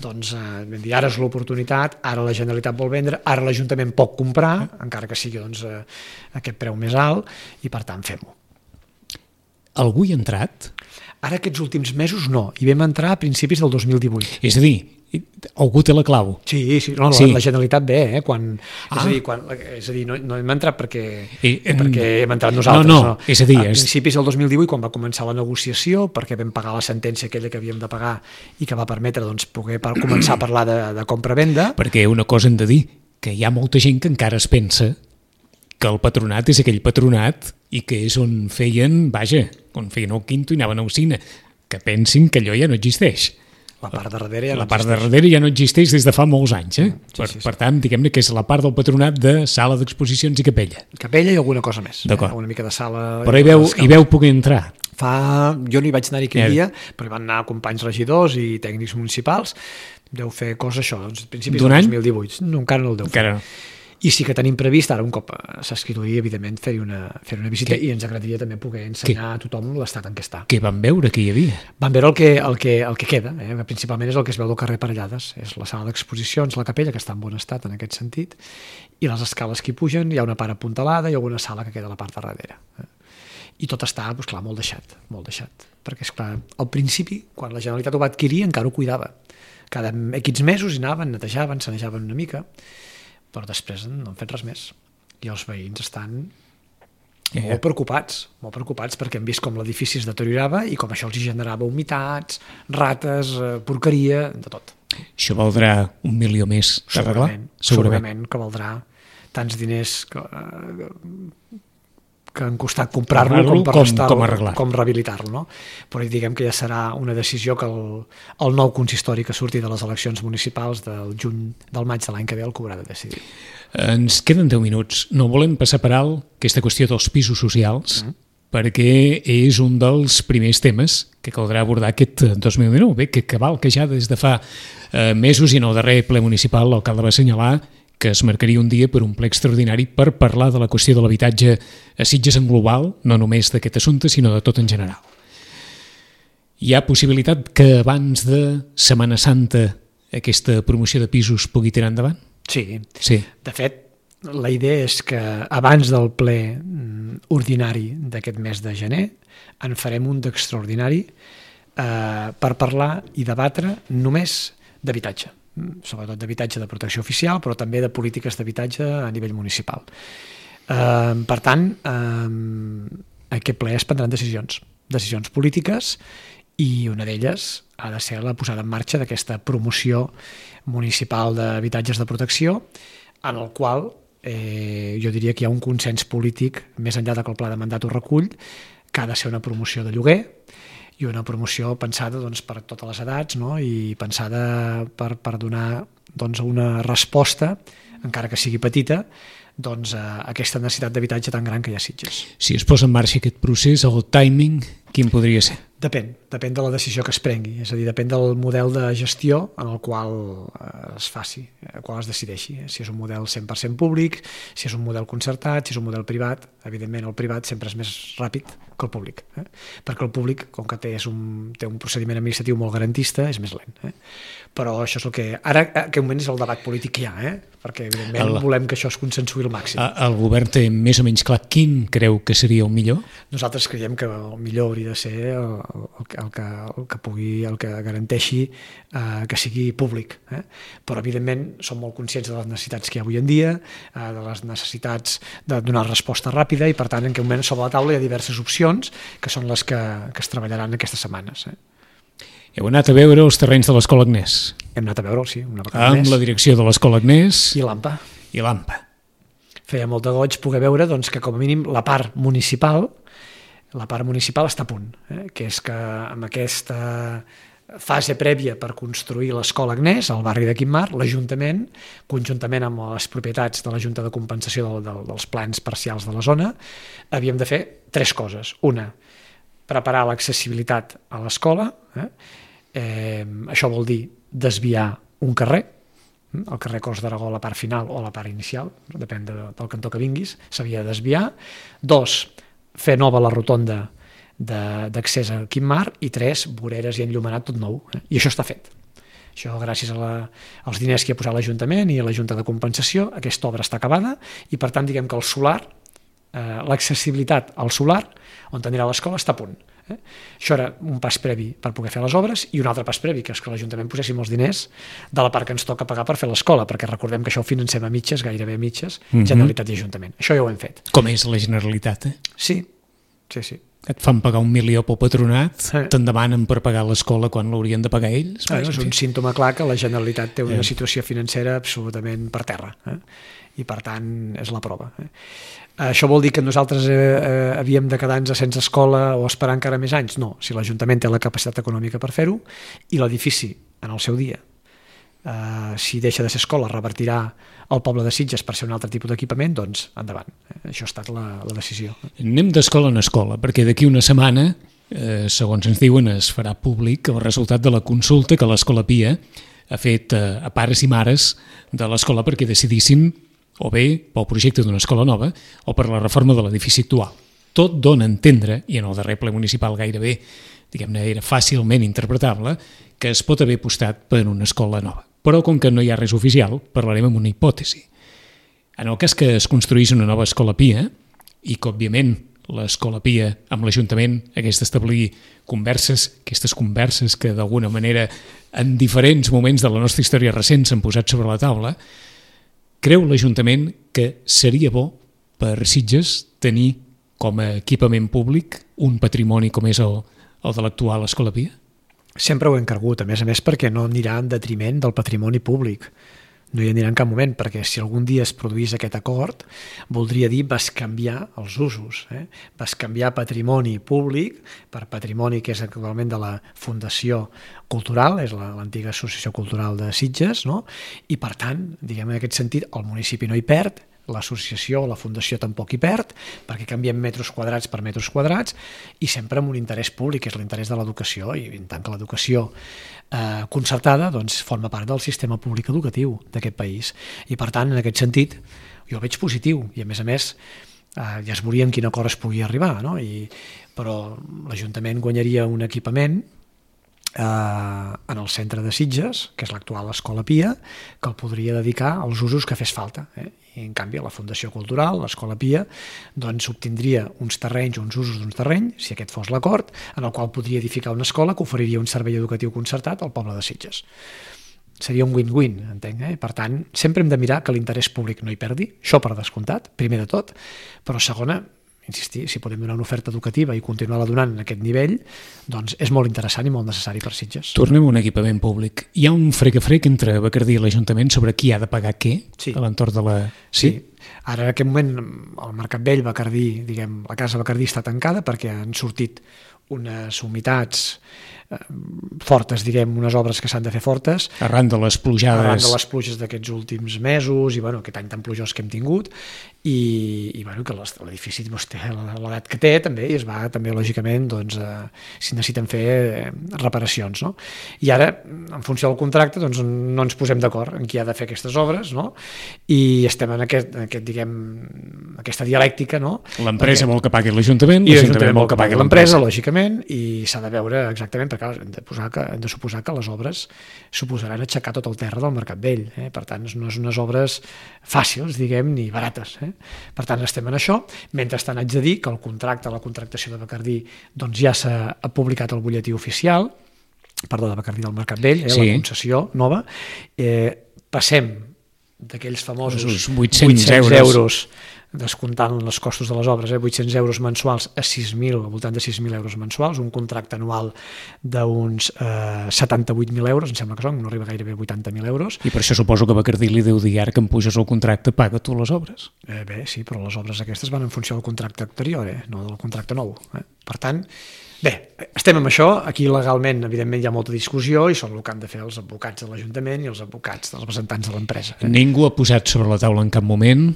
doncs eh, vam dir, ara és l'oportunitat, ara la Generalitat vol vendre, ara l'Ajuntament pot comprar, encara que sigui doncs, eh, aquest preu més alt, i per tant fem-ho. Algú hi ha entrat? Ara aquests últims mesos no, i vam entrar a principis del dos mil divuit. És a dir, algú té la clau. Sí, sí, no, sí. La, la Generalitat ve, eh? Quan, ah. és a dir, quan, és a dir, no, no hem entrat perquè, I, perquè hem entrat nosaltres. No, no, no. És a dir... A és... principis del dos mil divuit, quan va començar la negociació, perquè vam pagar la sentència aquella que havíem de pagar i que va permetre doncs, poder par començar a parlar de, de compra-venda. Perquè una cosa hem de dir, que hi ha molta gent que encara es pensa que el patronat és aquell patronat i que és on feien, vaja, on feien el quinto i anaven a Ocina, que pensin que allò ja no existeix. La part de darrere ja no la part existeix. de darrere ja no existeix des de fa molts anys. Eh? Sí, per, sí, sí. per tant, diguem-ne que és la part del patronat de sala d'exposicions i capella. Capella i alguna cosa més. D'acord. Eh? Una mica de sala... Però hi veu, hi veu poder entrar. Fa... Jo no hi vaig anar-hi aquell ja. dia, però hi van anar companys regidors i tècnics municipals. Deu fer cosa això, doncs, principis del dos mil divuit. No, encara no el deu fer. Encara no. I sí que tenim previst, ara un cop s'escrituria, evidentment, fer-hi una, fer una visita Què? i ens agradaria també poder ensenyar a tothom l'estat en què està. Què van veure que hi havia? Van veure el que, el que, el que queda, eh? Principalment és el que es veu del carrer Parellades, és la sala d'exposicions, la capella, que està en bon estat en aquest sentit, i les escales que hi pugen, hi ha una part apuntalada i alguna sala que queda a la part de darrere. Eh? I tot està, doncs clar, molt deixat, molt deixat. Perquè, esclar, al principi, quan la Generalitat ho va adquirir, encara ho cuidava. Cada equips mesos hi anaven, netejaven, sanejaven una mica, però després no han fet res més. I els veïns estan eh. molt preocupats, molt preocupats perquè han vist com l'edifici es deteriorava i com això els generava humitats, rates, porqueria, de tot. Això valdrà un milió més d'arreglar? Segurament, segurament que valdrà tants diners que, que han costat comprar-lo com, per com, com arreglar. Com rehabilitar-lo. No? Però diguem que ja serà una decisió que el, el nou consistori que surti de les eleccions municipals del juny, del maig de l'any que ve el que haurà de decidir. Ens queden deu minuts. No volem passar per alt aquesta qüestió dels pisos socials, mm. perquè és un dels primers temes que caldrà abordar aquest dos mil dinou. Bé, que cabal que ja des de fa eh, mesos i en el darrer ple municipal l'alcalde va assenyalar que es marcaria un dia per un ple extraordinari per parlar de la qüestió de l'habitatge a Sitges en global, no només d'aquest assumpte, sinó de tot en general. Hi ha possibilitat que abans de Setmana Santa aquesta promoció de pisos pugui tirar endavant? Sí. sí. De fet, la idea és que abans del ple ordinari d'aquest mes de gener en farem un d'extraordinari eh, per parlar i debatre només d'habitatge, sobretot d'habitatge de protecció oficial, però també de polítiques d'habitatge a nivell municipal. Eh, per tant, eh, aquest ple es prendran decisions, decisions polítiques, i una d'elles ha de ser la posada en marxa d'aquesta promoció municipal d'habitatges de protecció, en el qual eh, jo diria que hi ha un consens polític, més enllà de que el pla de mandat ho recull, que ha de ser una promoció de lloguer, i una promoció pensada doncs, per totes les edats, no? I pensada per, per donar doncs, una resposta, encara que sigui petita, doncs, a aquesta necessitat d'habitatge tan gran que hi ha a Sitges. Si es posa en marxa aquest procés, el timing, quin podria ser? Depèn, depèn de la decisió que es prengui, és a dir, depèn del model de gestió en el qual es faci, el qual es decideixi, si és un model cent per cent públic, si és un model concertat, si és un model privat. Evidentment el privat sempre és més ràpid que el públic, eh? perquè el públic, com que té, és un, té un procediment administratiu molt garantista, és més lent. Eh? Però això és el que... Ara, en aquest moment és el debat polític que hi ha, eh? perquè evidentment el... volem que això es consensuï al màxim. El govern té més o menys clar quin creu que seria el millor? Nosaltres creiem que el millor hauria de ser el, el, el, que, el que pugui, el que garanteixi eh, que sigui públic. Eh? Però, evidentment, som molt conscients de les necessitats que hi ha avui en dia, eh, de les necessitats de donar resposta ràpida i, per tant, en aquest moment sobre la taula hi ha diverses opcions que són les que, que es treballaran aquestes setmanes. Eh? Heu anat a veure els terrenys de l'Escola Agnès? Hem anat a veure, sí, una vegada més. Amb la direcció de l'Escola Agnès. I l'AMPA. I l'AMPA. Feia molt de goig poder veure doncs, que com a mínim la part municipal la part municipal està a punt, eh? que és que amb aquesta fase prèvia per construir l'Escola Agnès al barri de Quim-Mar, l'Ajuntament, conjuntament amb les propietats de la Junta de Compensació del, del, dels plans parcials de la zona, havíem de fer tres coses. Una, preparar l'accessibilitat a l'escola, eh? Eh, això vol dir desviar un carrer, el carrer Cors d'Aragó a la part final o a la part inicial, depèn de, del cantó que vinguis, s'havia de desviar. Dos, fer nova la rotonda d'accés a Quim-Mar, i tres, voreres i enllumenat tot nou. Eh? I això està fet. Això gràcies a la, als diners que hi ha posat l'Ajuntament i a la Junta de Compensació, aquesta obra està acabada i, per tant, diguem que el solar, eh, l'accessibilitat al solar, on anirà l'escola, està a punt. Eh? Això era un pas previ per poder fer les obres, i un altre pas previ, que és que l'Ajuntament poséssim els diners de la part que ens toca pagar per fer l'escola, perquè recordem que això ho financem a mitges, gairebé a mitges, mm-hmm. Generalitat i Ajuntament. Això ja ho hem fet. Com és la Generalitat, eh? Sí, sí, sí. Et fan pagar un milió pel patronat, sí. Te'n demanen per pagar l'escola quan l'haurien de pagar ells. Ah, és un símptoma clar que la Generalitat té una eh. situació financera absolutament per terra, eh? I per tant és la prova. Eh? Això vol dir que nosaltres eh, eh, havíem de quedar-nos sense escola o esperar encara més anys? No, si l'Ajuntament té la capacitat econòmica per fer-ho, i l'edifici en el seu dia, eh, si deixa de ser escola, revertirà al poble de Sitges per ser un altre tipus d'equipament, doncs endavant. Eh? Això ha estat la, la decisió. Anem d'escola en escola, perquè d'aquí una setmana, eh, segons ens diuen, es farà públic el resultat de la consulta que l'Escola Pia ha fet eh, a pares i mares de l'escola perquè decidissin o bé pel projecte d'una escola nova o per la reforma de l'edifici actual. Tot dona a entendre, i en el darrer ple municipal gairebé, diguem-ne, era fàcilment interpretable, que es pot haver apostat per una escola nova. Però com que no hi ha res oficial, parlarem amb una hipòtesi. En el cas que es construís una nova escola Pia, i que, òbviament, l'escola Pia amb l'Ajuntament hagués d'establir converses, aquestes converses que d'alguna manera en diferents moments de la nostra història recent s'han posat sobre la taula, creu l'Ajuntament que seria bo per Sitges tenir com a equipament públic un patrimoni com és el, el de l'actual Escola Pia? Sempre ho hem cregut, a més a més perquè no anirà en detriment del patrimoni públic. No hi anirà en cap moment, perquè si algun dia es produís aquest acord, voldria dir bescanviar els usos. Eh? Bescanviar patrimoni públic per patrimoni que és actualment de la Fundació Cultural, és l'antiga Associació Cultural de Sitges, no? I per tant, diguem en aquest sentit, el municipi no hi perd, l'associació o la fundació tampoc hi perd, perquè canviem metres quadrats per metres quadrats, i sempre amb un interès públic, que és l'interès de l'educació, i en tant que l'educació eh, concertada doncs, forma part del sistema públic educatiu d'aquest país. I per tant, en aquest sentit, jo el veig positiu, i a més a més eh, ja es veuria en quin acord es pugui arribar, no? I, però l'Ajuntament guanyaria un equipament Eh, en el centre de Sitges, que és l'actual Escola Pia, que el podria dedicar als usos que fes falta. Eh? I en canvi la Fundació Cultural, l'Escola Pia, doncs obtindria uns terrenys, uns usos d'uns terrenys, si aquest fos l'acord, en el qual podria edificar una escola que oferiria un servei educatiu concertat al poble de Sitges. Seria un win-win, entenc. Eh? Per tant, sempre hem de mirar que l'interès públic no hi perdi, això per descomptat, primer de tot, però segona, insistir, si podem donar una oferta educativa i continuar-la donant en aquest nivell, doncs és molt interessant i molt necessari per Sitges. Tornem a un equipament públic. Hi ha un frec-a-frec entre Bacardí i l'Ajuntament sobre qui ha de pagar què sí. a l'entorn de la... Sí? sí. Ara, en aquest moment, el Mercat Vell, Bacardí, diguem, la casa Bacardí està tancada perquè han sortit unes humitats eh, fortes, diguem, unes obres que s'han de fer fortes. Arran de les plujades. Arran de les pluges d'aquests últims mesos i, bueno, aquest any tan plujós que hem tingut. I, i bueno, que l'edifici doncs, té l'edat que té també i es va també lògicament doncs, eh, si necessiten fer eh, reparacions, no? I ara en funció del contracte doncs, no ens posem d'acord en qui ha de fer aquestes obres, no? I estem en, aquest, en aquest, diguem, aquesta dialèctica, no? L'empresa vol que pagui l'Ajuntament, i l'Ajuntament vol que pagui l'empresa, lògicament, i s'ha de veure exactament, perquè clar, hem de, posar que, hem de suposar que les obres suposaran aixecar tot el terra del Mercat Vell. Eh? Per tant, no és unes obres fàcils, diguem, ni barates. Eh? Per tant, estem en això. Mentrestant, haig de dir que el contracte, la contractació de Bacardí, doncs ja s'ha publicat al butlletí oficial, perdó, de Bacardí del Mercat Vell, eh? Sí. La concessió nova. Eh, passem d'aquells famosos vuit-cents euros, descomptant els costos de les obres, eh? vuit-cents euros mensuals a sis mil, al voltant de sis mil euros mensuals, un contracte anual d'uns eh, setanta-vuit mil euros, em sembla que són, no arriba gairebé a vuitanta mil euros. I per això suposo que Bacardí li deu dir, ara que em puges el contracte, paga tu les obres. Eh, bé, sí, però les obres aquestes van en funció del contracte anterior, eh? No del contracte nou. Eh? Per tant, bé, estem amb això, aquí legalment evidentment hi ha molta discussió i són el que han de fer els advocats de l'Ajuntament i els advocats dels representants de l'empresa. Eh? Ningú ha posat sobre la taula en cap moment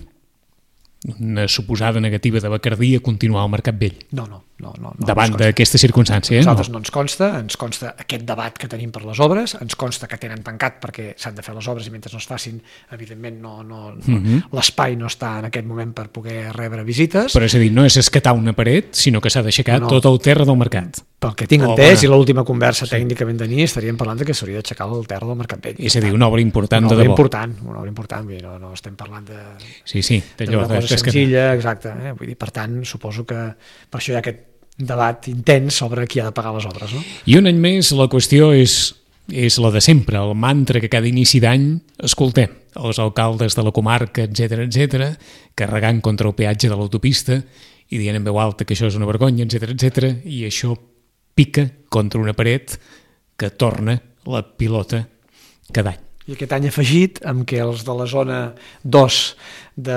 una suposada negativa de Bacardí a continuar al Mercat Vell. No, no. no, no, no davant d'aquesta circumstància. A nosaltres no? no ens consta, ens consta aquest debat que tenim per les obres, ens consta que tenen tancat perquè s'han de fer les obres i mentre no es facin, evidentment no, no, no, mm-hmm. l'espai no està en aquest moment per poder rebre visites. Però és a dir, no és escatar una paret, sinó que s'ha d'aixecar no, no. tot el terra del mercat. Pel que tinc entès, i l'última conversa sí. tècnica que vam tenir, estaríem parlant de que s'hauria d'aixecar el terra del Mercat Vell. És a dir, una obra important una de obra debò. Important, una obra important, vull dir, no, no estem parlant de, sí, sí, d'una cosa senzilla, exacte. Eh? Vull dir, per tant, suposo que per això hi ha aquest debat intens sobre qui ha de pagar les obres. No? I un any més la qüestió és, és la de sempre, el mantra que cada inici d'any escoltem. Els alcaldes de la comarca, etcètera, etcètera, carregant contra el peatge de l'autopista i dient en veu alta que això és una vergonya, etcètera, etcètera, i això pica contra una paret que torna la pilota cada any. I aquest any afegit amb què els de la zona dos de,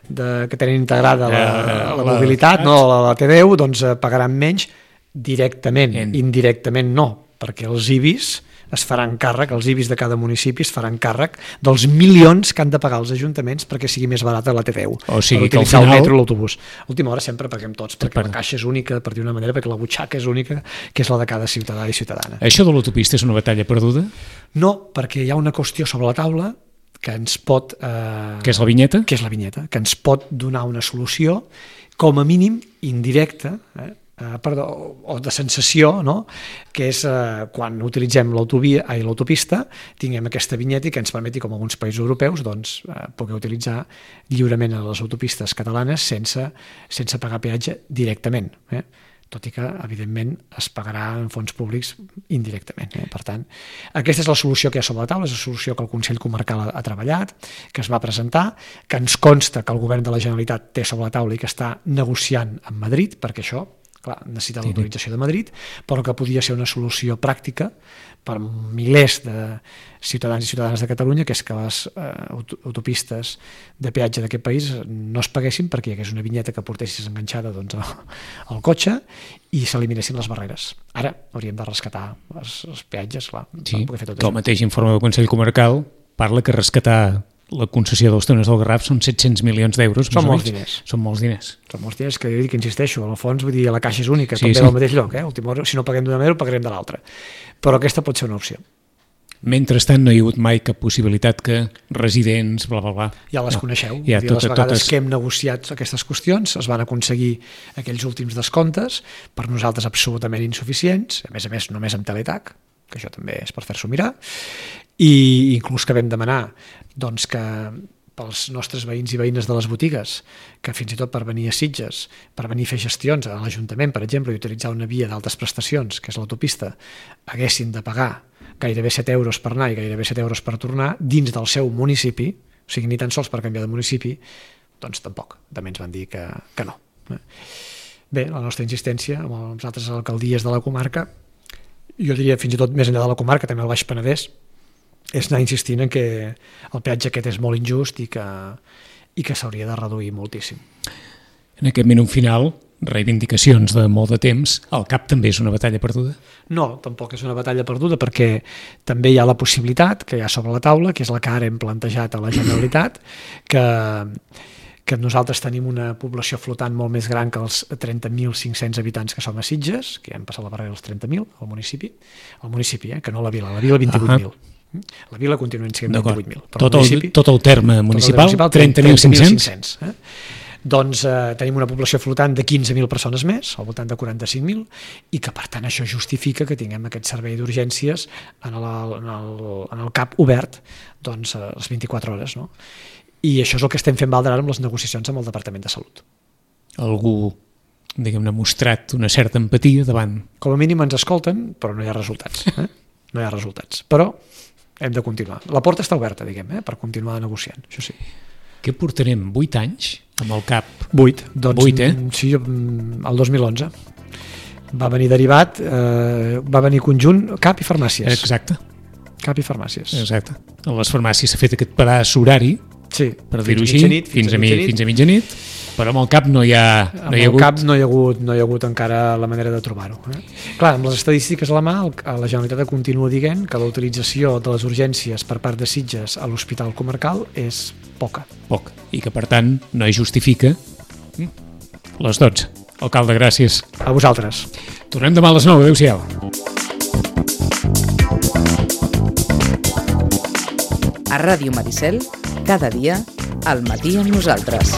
de, que tenen integrada la, la, la mobilitat, no, la, la T deu, doncs pagaran menys directament, en... indirectament no, perquè els I B I S es faran càrrec, els I B I S de cada municipi es faran càrrec dels milions que han de pagar els ajuntaments perquè sigui més barata la T deu, o sigui per que utilitzar al final... el metro i l'autobús. A última hora sempre paguem tots, perquè per... la caixa és única, per dir-ho d'una manera, perquè la butxaca és única, que és la de cada ciutadà i ciutadana. Això de l'autopista és una batalla perduda? No, perquè hi ha una qüestió sobre la taula que ens pot... Eh, que és la vinyeta? Que és la vinyeta, que ens pot donar una solució, com a mínim indirecta, eh, Uh, perdó, o de sensació, no? Que és uh, quan utilitzem l'autovia i l'autopista, tinguem aquesta vinyeta i que ens permeti, com alguns països europeus, doncs, uh, poder utilitzar lliurement a les autopistes catalanes sense, sense pagar peatge directament. Eh? Tot i que, evidentment, es pagarà en fons públics indirectament. Eh? Per tant, aquesta és la solució que hi ha sobre la taula, és la solució que el Consell Comarcal ha, ha treballat, que es va presentar, que ens consta que el Govern de la Generalitat té sobre la taula i que està negociant amb Madrid, perquè això clar, necessita l'autorització de Madrid, però que podia ser una solució pràctica per milers de ciutadans i ciutadanes de Catalunya, que és que les eh, autopistes de peatge d'aquest país no es paguessin perquè hi hagués una vinyeta que portessis enganxada doncs, al cotxe i s'eliminessin les barreres. Ara hauríem de rescatar els, els peatges, clar, sí, per poder fer tot això. El mateix informe del Consell Comarcal parla que rescatar la concessió dels túnels del Garraf són set-cents milions d'euros. Són molts diners. Són molts diners. Són molts diners que, que insisteixo, al fons, vull dir, la caixa és única, sí, tot ve sí. del mateix lloc. Eh? Última hora, si no paguem d'una manera, ho pagarem de l'altra. Però aquesta pot ser una opció. Mentrestant no hi ha hagut mai cap possibilitat que residents, bla, bla, bla... Ja les no. coneixeu. Ja, dir, tot, les vegades totes... que hem negociat aquestes qüestions es van aconseguir aquells últims descomptes, per nosaltres absolutament insuficients, a més a més només amb Teletac, que això també és per fer-s'ho mirar, i inclús que vam demanar doncs, que pels nostres veïns i veïnes de les botigues, que fins i tot per venir a Sitges, per venir a fer gestions a l'Ajuntament, per exemple, i utilitzar una via d'altes prestacions, que és l'autopista, haguessin de pagar gairebé set euros per anar i gairebé set euros per tornar dins del seu municipi, o sigui, ni tan sols per canviar de municipi, doncs tampoc. També ens van dir que, que no. Bé, la nostra insistència amb les altres alcaldies de la comarca, jo diria fins i tot més enllà de la comarca, també al Baix Penedès, és anar insistint en que el peatge aquest és molt injust i que, i que s'hauria de reduir moltíssim. En aquest minut final, reivindicacions de molt de temps, el C A P també és una batalla perduda? No, tampoc és una batalla perduda perquè també hi ha la possibilitat que hi ha sobre la taula, que és la que ara hem plantejat a la Generalitat, que, que nosaltres tenim una població flotant molt més gran que els trenta mil cinc-cents habitants que som a Sitges, que ja hem passat la barrera dels trenta mil al municipi, al municipi, eh, que no la vila, la vila vint-i-vuit mil. Uh-huh. La vila continua sent vint-i-vuit mil. Tot, tot el terme municipal, trenta mil cinc-cents. Eh? doncs eh, tenim una població flotant de quinze mil persones més, al voltant de quaranta-cinc mil, i que per tant això justifica que tinguem aquest servei d'urgències en, el, en, el, en el CAP obert doncs, a les vint-i-quatre hores. No? I això és el que estem fent valdre ara amb les negociacions amb el Departament de Salut. Algú, diguem-ne, ha mostrat una certa empatia davant. Com a mínim ens escolten, però no hi ha resultats. Eh? No hi ha resultats. Però hem de continuar. La porta està oberta, diguem, eh? per continuar negociant, això sí. Què portarem? Vuit anys amb el CAP? Vuit. Doncs, Vuit, eh? Sí, el dos mil onze. Va venir derivat, eh, va venir conjunt CAP i farmàcies. Exacte. CAP i farmàcies. Exacte. A les farmàcies s'ha fet aquest pedaç horari, sí, per dir-ho així, fins, fins, a, mitjanit. fins a mitjanit, però amb el CAP no hi ha, no hi ha hagut... Amb el CAP no hi ha hagut, no hi ha hagut encara la manera de trobar-ho. Eh? Clar, amb les estadístiques a la mà, la Generalitat continua dient que la utilització de les urgències per part de Sitges a l'Hospital Comarcal és poca. Poc, i que per tant no hi justifica les dotze. Alcalde, gràcies. A vosaltres. Tornem demà a les nou. Adéu-siau. A Ràdio Maricel, cada dia, al matí amb nosaltres.